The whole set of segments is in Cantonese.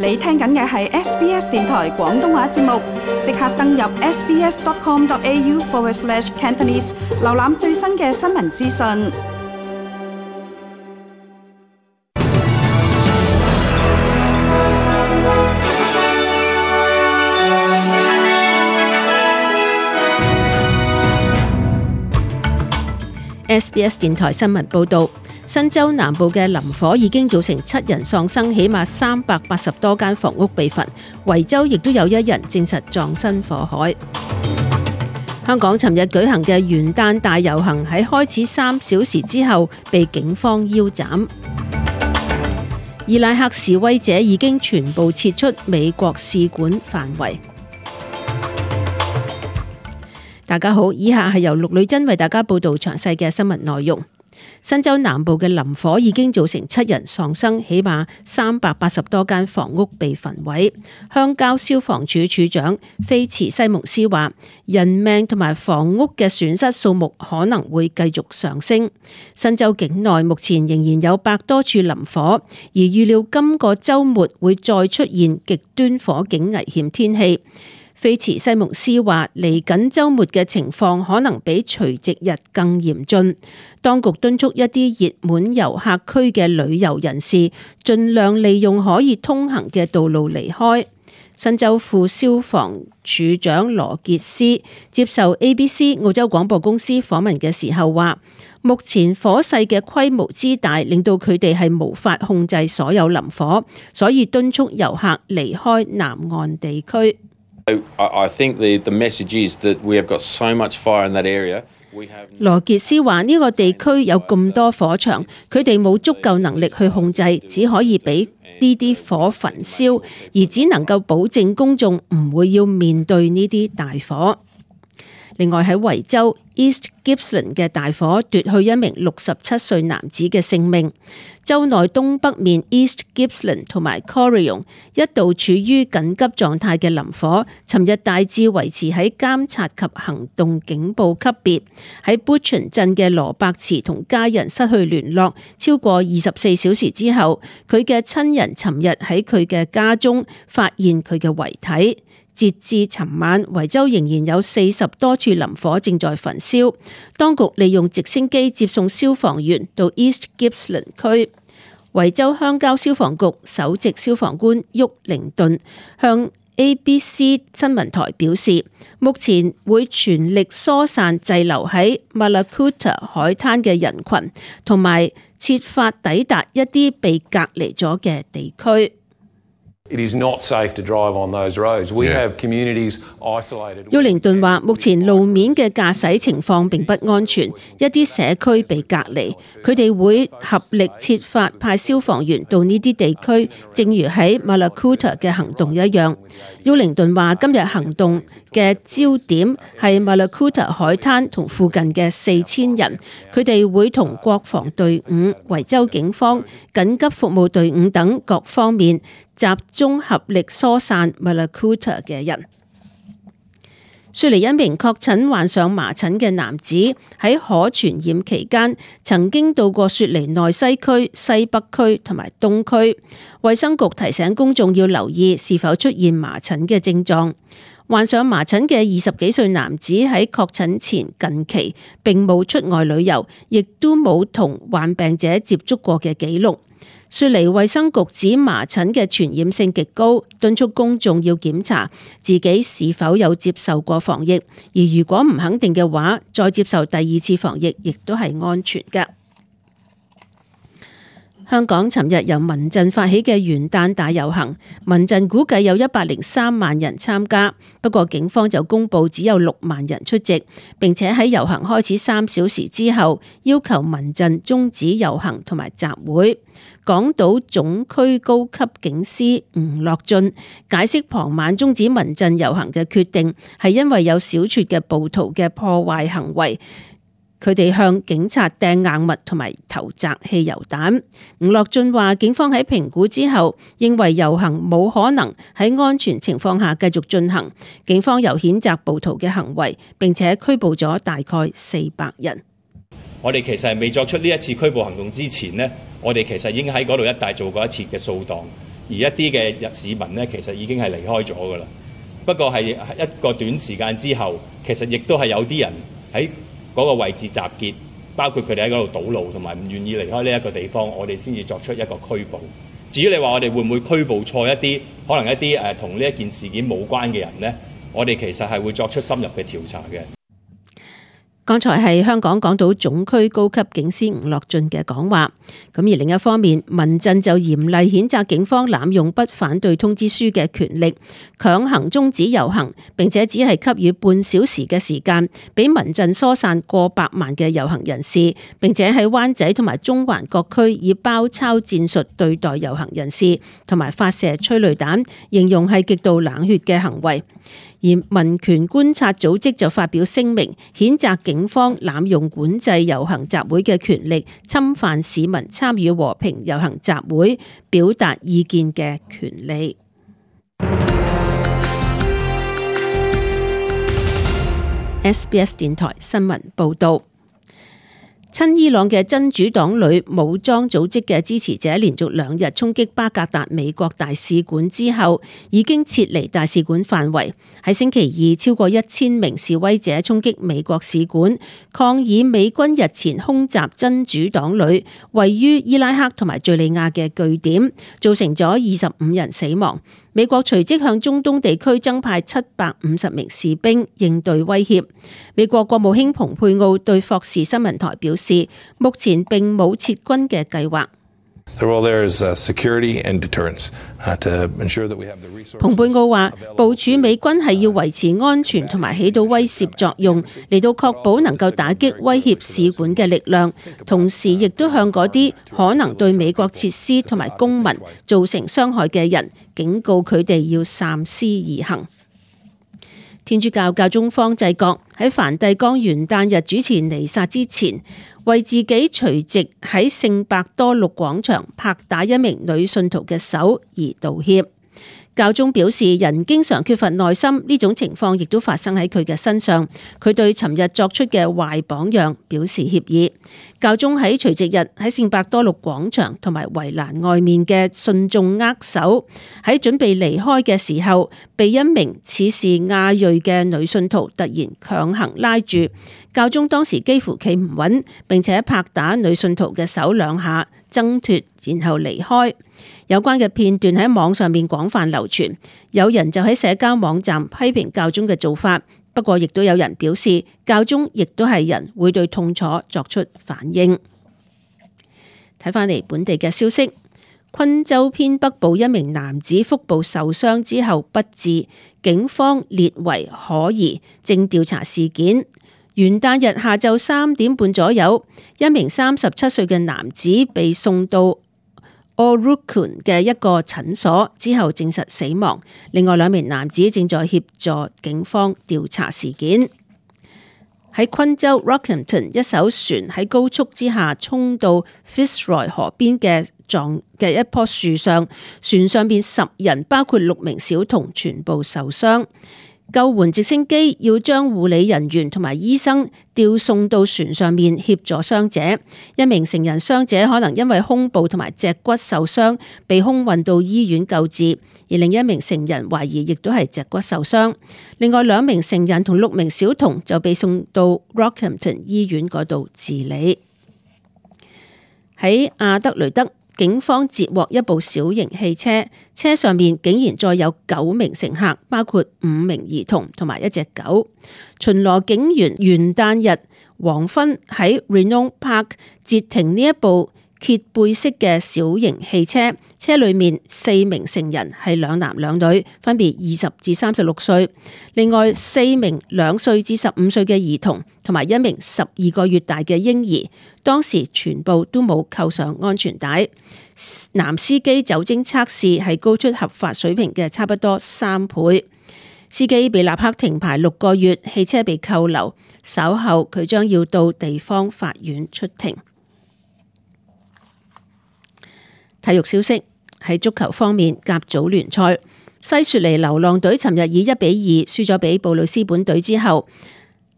你聽緊嘅係 SBS 電台廣東話節目，即刻登入 sbs.com.au/Cantonese 瀏覽最新嘅新聞資訊。SBS 電台新聞報導，新州南部嘅林火已經造成7人喪生，起碼380多間房屋被焚。維州亦都有1人證實葬身火海。香港尋日舉行嘅元旦大遊行喺開始3小時之後被警方腰斬。伊拉克示威者已經全部撤出美國使館範圍。大家好，以下係由陸女珍為大家報道詳細嘅新聞內容。新州南部嘅林火已經造成7人喪生，起碼380多間房屋被焚毀。鄉郊消防處處長菲茨西蒙斯話，人命同埋房屋嘅損失數目可能會繼續上升。新州境內目前仍然有100多處林火，而預料今個週末會再出現極端火警危險天氣。菲茨西蒙斯話，嚟緊週末嘅情況可能比除夕日更嚴峻。當局敦促一啲熱門遊客區嘅旅遊人士盡量利用可以通行嘅道路離開。新州副消防處長羅傑斯接受 ABC 澳洲廣播公司訪問嘅時候話，目前火勢嘅規模之大，令到佢哋係無法控制所有林火，所以敦促遊客離開南岸地區。I think the message is that we have got so much fire in that area. 羅傑斯話，呢個地區有咁多火場，佢哋冇足夠能力去控制，只可以俾呢啲火焚燒，而只能夠保證公眾唔會要面對呢啲大火。另外喺維州 East Gippsland 嘅大火奪去一名67歲男子嘅性命。州內東北面 East Gippsland 同埋 Corryong 一度處於緊急狀態嘅林火，尋日大致維持喺監察及行動警報級別。喺 Butchon 鎮嘅羅伯茨同家人失去聯絡超過24小時之後，佢嘅親人尋日喺佢嘅家中發現佢嘅遺體。截至尋晚，維州仍然有40多處林火正在焚燒。當局利用直升機接送消防員到 East Gippsland 區。維州鄉郊消防局首席消防官沃靈頓向 ABC 新聞台表示，目前會全力疏散滯留喺 Mallacoota 海灘嘅人群，同埋設法抵達一啲被隔離咗嘅地區。It is not safe to drive on those roads. We have communities isolated. 沃靈頓話，目前路面嘅駕駛情況並不安全，一啲社區被隔離，佢哋會合力設法派消防員到呢啲地區，正如喺 Mallacoota 嘅行動一樣。沃靈頓話，今日行動嘅焦點係 Mallacoota 海灘同附近嘅4000人，佢哋會同國防隊伍、維州警方、緊急服務隊伍等各方面集中合力疏散 Mallacoota 嘅人。雪梨一名確診患上麻疹嘅男子喺可傳染期間曾經到過雪梨內西區、西北區同埋東區。衛生局提醒公眾要留意是否出現麻疹嘅症狀。患上麻疹嘅20幾歲男子喺確診前近期並冇出外旅遊，亦都冇同患病者接觸過嘅記錄。雪梨衛生局指麻疹嘅傳染性極高，敦促公眾要檢查自己是否有接受過防疫，而如果唔肯定嘅話，再接受第2次防疫亦都係安全嘅。香港尋日由民陣發起嘅元旦大遊行，民陣估計有103萬人參加，不過警方就公布只有6萬人出席，並且喺遊行開始3小時之後，要求民陣終止遊行同埋集會。港島總區高級警司吳樂俊解釋，傍晚終止民陣遊行嘅決定係因為有小撮嘅暴徒嘅破壞行為。佢哋向警察掟硬物同埋投擲汽油彈。吳樂俊話，警方喺評估之後認為遊行冇可能喺安全情況下繼續進行。警方又譴責暴徒嘅行為，並且拘捕咗大概400人。我哋其實係未作出呢一次拘捕行動之前呢，我哋其實已經喺嗰度一帶做過一次嘅掃蕩。而一啲嘅市民呢，其實已經係離開咗㗎啦。不過係一個短時間之後，其實亦都係有啲人喺嗰個位置集結，包括佢哋喺嗰度堵路，同埋唔願意離開呢一個地方，我哋先至作出一個拘捕。至於你話我哋會唔會拘捕錯一啲可能一啲同呢一件事件冇關嘅人呢？我哋其實係會作出深入嘅調查嘅。剛才係香港港島總區高級警司吳樂俊嘅講話。咁而另一方面，民陣就嚴厲譴責警方濫用不反對通知書嘅權力，強行終止遊行，並且只係給予半小時嘅時間，俾民陣疏散過百萬嘅遊行人士，並且喺灣仔同埋中環各區以包抄戰術對待遊行人士，同埋發射催淚彈，形容係極度冷血嘅行為。而民權觀察組織就發表聲明，譴責警方濫用管制遊行集會嘅權力，侵犯市民參與和平遊行集會、表達意見嘅權利。SBS 電台新聞報導。親伊朗嘅真主黨旅武裝組織嘅支持者連續2日衝擊巴格達美國大使館之後，已經撤離大使館範圍。喺星期二，超過1000名示威者衝擊美國使館，抗議美軍日前空襲真主黨旅位於伊拉克同埋敘利亞嘅據點，造成咗25人死亡。美國隨即向中東地區增派750名士兵應對威脅。美國國務卿蓬佩奧對霍士新聞台表示，目前並冇撤軍嘅計劃。蓬佩奧話，部署美軍係要維持安全同埋起到威懾作用，嚟到確保能夠打擊威脅使館嘅力量，同時亦都向嗰啲可能對美國設施同埋公民造成傷害嘅人警告佢哋要三思而行。天主教教宗方濟各喺梵蒂岡元旦日主持彌撒之前，為自己隨即喺聖伯多祿廣場拍打一名女信徒嘅手而道歉。教宗表示，人經常缺乏耐心，呢種情況亦都發生喺佢嘅身上。佢對尋日作出嘅壞榜樣表示歉意。教宗喺除夕日喺聖伯多祿廣場同埋圍欄外面嘅信眾握手，喺準備離開嘅時候，被一名似是亞裔嘅女信徒突然強行拉住。教宗當時幾乎企唔穩，並且拍打女信徒嘅手2下，掙脫，然後離開。有關嘅片段喺網上面廣泛流傳，有人就喺社交網站批評教宗嘅做法，不過亦都有人表示，教宗亦都係人，會對痛楚作出反應。睇返嚟本地嘅消息，昆州偏北部一名男子腹部受傷之後不治，警方列為可疑，正調查事件。元旦日下晝3點半左右，一名37歲嘅男子被送到Orukun 嘅一個診所之後證實死亡，另外2名男子正在協助警方調查事件。喺昆州 Rockhampton， 一艘船喺高速之下衝到 Fitzroy 河邊嘅一棵樹上，船上邊10人，包括6名小童，全部受傷。救援直升機要將護理人員同埋醫生調送到船上面協助傷者。一名成人傷者可能因為胸部同埋脊骨受傷，被空運到醫院救治，而另一名成人懷疑亦都係脊骨受傷。另外2名成人同6名小童就被送到 Rockhampton 醫院嗰度治理。喺阿德雷德，警方截獲一部小型汽車，車上面竟然載有9名乘客，包括5名兒童同埋1隻狗。巡邏警員元旦日黃昏喺 Reno Park 截停呢一部揭背式嘅小型汽車，車裏面4名成人係2男2女，分別20至36歲，另外4名2歲至15歲嘅兒童，同埋1名12個月大嘅嬰兒，當時全部都冇扣上安全帶。男司機酒精測試係高出合法水平嘅差不多3倍，司機被立刻停牌6個月，汽車被扣留，稍後佢將要到地方法院出庭。體育消息，喺足球方面，甲組聯賽，西雪梨流浪隊尋日以1-2輸咗俾布里斯本隊之後，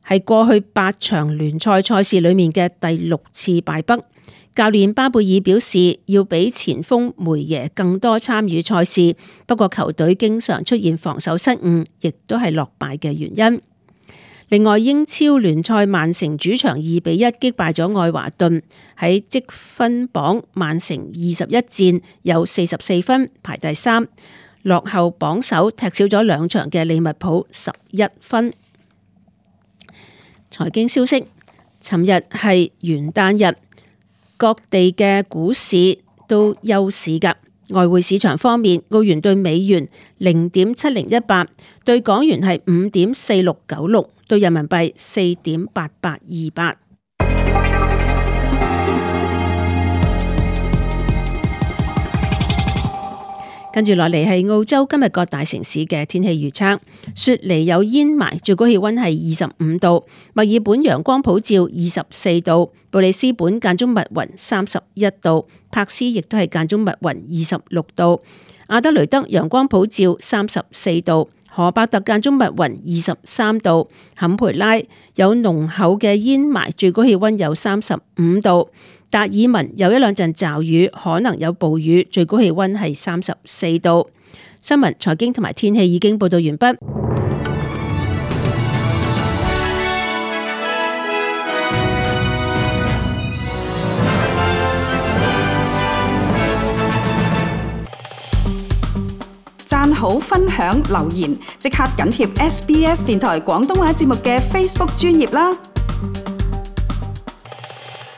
係過去8場聯賽賽事裏面嘅第6次敗北。教練巴貝爾表示要俾前鋒梅耶更多參與賽事，不過球隊經常出現防守失誤，亦都係落敗嘅原因。另外，英超聯賽曼城主場2-1擊敗咗愛華頓，喺積分榜曼城21戰有44分排第3，落後榜首踢少咗2場嘅利物浦11分。財經消息，尋日係元旦日，各地嘅股市都休市㗎。外匯市場方面，澳元對美元0.7018，對港元係5.4696，對人民幣4.8828。跟住落嚟係澳洲今日各大城市嘅天氣預測。雪梨有煙霾，最高氣溫係25度；墨爾本陽光普照24度；布里斯本間中密雲31度；柏斯亦都係間中密雲26度；阿德雷德陽光普照34度；荷伯特間中密雲23度；坎培拉有濃厚嘅煙霾，最高氣溫有35度；達爾文有一兩陣驟雨，可能有暴雨，最高氣溫係34度。新聞、財經同埋天氣已經報道完畢。讚好、分享、留言，即刻緊貼SBS 電台廣東話節目嘅 Facebook 專頁啦！